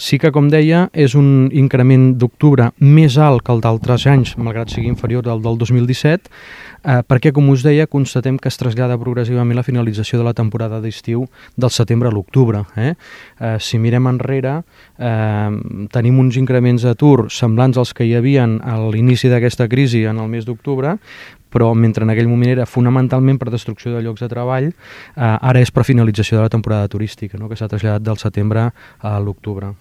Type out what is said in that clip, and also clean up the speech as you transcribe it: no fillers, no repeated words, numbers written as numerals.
Sí que, com deia, és un increment d'octubre més alt que el d'altres anys, malgrat sigui inferior al del 2017, perquè, com us deia, constatem que es trasllada progressivament la finalització de la temporada d'estiu del setembre a l'octubre. Si mirem enrere, tenim uns increments d'atur semblants als que hi havien a l'inici d'aquesta crisi en el mes d'octubre, però mentre en aquell moment era fonamentalment per destrucció de llocs de treball, ara és per finalització de la temporada turística, no?, que s'ha traslladat del setembre a l'octubre.